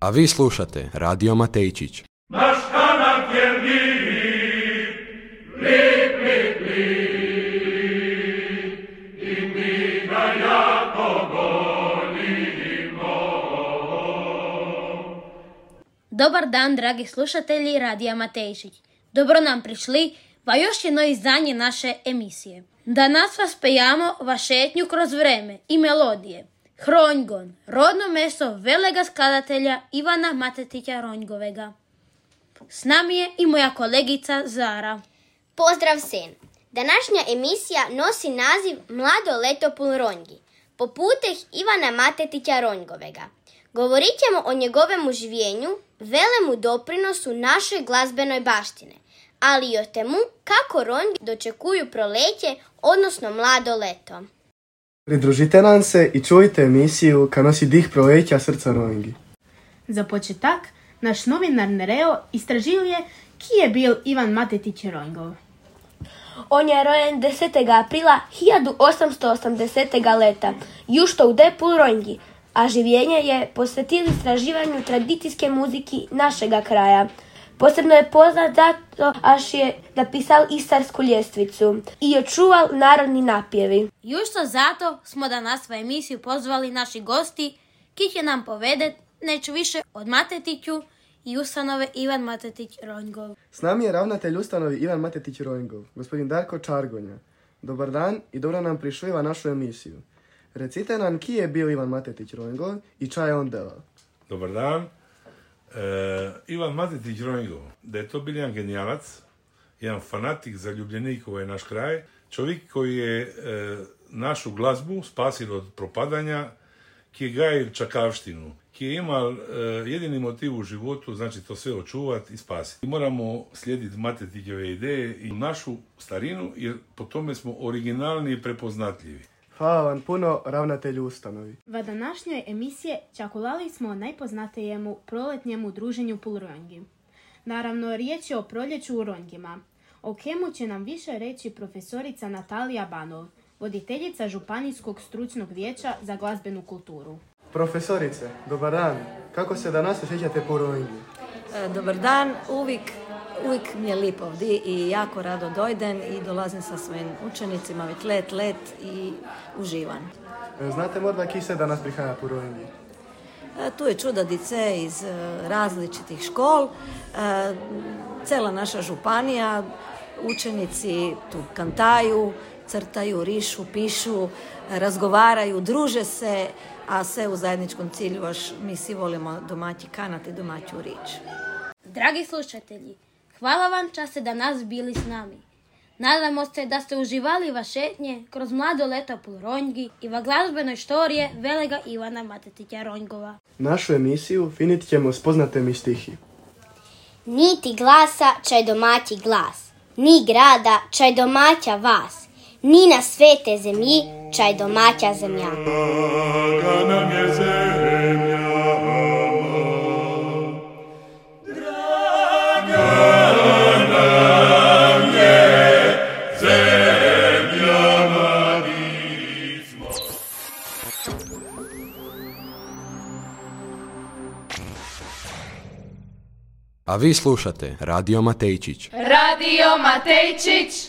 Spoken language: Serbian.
A vi slušate Radio Matejčić. Naš kanak je lip, lip, lip, lip, i mi ga jako volimo. Dobar dan, dragi slušatelji Radija Matejčić. Dobro nam prišli va još jedno izdanje naše emisije. Danas vas pejamo va šetnju kroz vreme i melodije. Hronjgon, rodno mesto velega skladatelja Ivana Matetića Ronjgovega. S nami je i moja kolegica Zara. Pozdrav sen! Današnja emisija nosi naziv Mlado leto pul Ronjgi, po puteh Ivana Matetića Ronjgovega. Govorit ćemo o njegovemu življenju, velemu doprinosu našoj glazbenoj baštine, ali i o temu kako Ronjgi dočekuju proleće, odnosno mlado leto. Pridružite nam se i čujte emisiju kad nosi dih proleća srca Ronjgi. Za početak, naš novinar Nereo istražuje ki je bil Ivan Matetić Ronjgov. On je rojen 10. aprila 1880. leta, jušto u Pul Ronjgi, a življenje je posvetilo istraživanju tradicijske muziki našega kraja. Posebno je poznat zato až je napisal Istarsku ljestvicu i očuval narodni napjevi. Jušto zato smo danas u emisiju pozvali naši gosti, ki će nam povedet nešto više od Matetiću i ustanove Ivan Matetić Ronjgov. S nami je ravnatelj ustanovi Ivan Matetić Ronjgov, gospodin Darko Čargonja. Dobar dan i dobro nam prišli našu emisiju. Recite nam ki je bil Ivan Matetić Ronjgov i ča je on delal. Dobar dan. Ivan Matetić Ronjgov, da je to bil jedan genijalac, jedan fanatik, zaljubljenik u ovaj naš kraj, čovjek koji je našu glazbu spasil od propadanja, ki je gajil čakavštinu, ki je imal jedini motiv u životu, znači to sve očuvati i spasiti. Moramo slijediti Matetićeve ideje i našu starinu, jer po tome smo originalni i prepoznatljivi. Hvala vam puno, ravnatelju ustanovi. Va današnjoj emisije čakulali smo o najpoznatijemu proletnjemu druženju Pul Ronjgi. Naravno, riječ je o proljeću u Ronjgima. O kemu će nam više reći profesorica Natalija Banov, voditeljica Županijskog stručnog vijeća za glazbenu kulturu. Profesorice, dobar dan. Kako se danas osjećate po Ronjgi? Dobar dan, uvijek mi je lip ovdje i jako rado dojdem i dolazim sa svojim učenicima već let i uživam. Znate možda ki se danas prihaja po Ronjgi? Tu je čudadice iz različitih škol, cela naša županija, učenici tu kantaju, crtaju, rišu, pišu, razgovaraju, druže se, a sve u zajedničkom cilju, až mi svi volimo domaći kanat i domaću rič. Dragi slušatelji, hvala vam ča ste danas bili s nami. Nadamo se da ste uživali va šetnje kroz mlado leto Pul Ronjgi i va glazbenoj štorije velega Ivana Matetića Ronjgova. Našu emisiju finit ćemo s poznatim stihi. Niti glasa čaj domaći glas, ni grada čaj domaća vas, ni na svete zemlji čaj domaća zemlja. Draga nam je zemlja, A vi slušate Radio Matejčić. Radio Matejčić.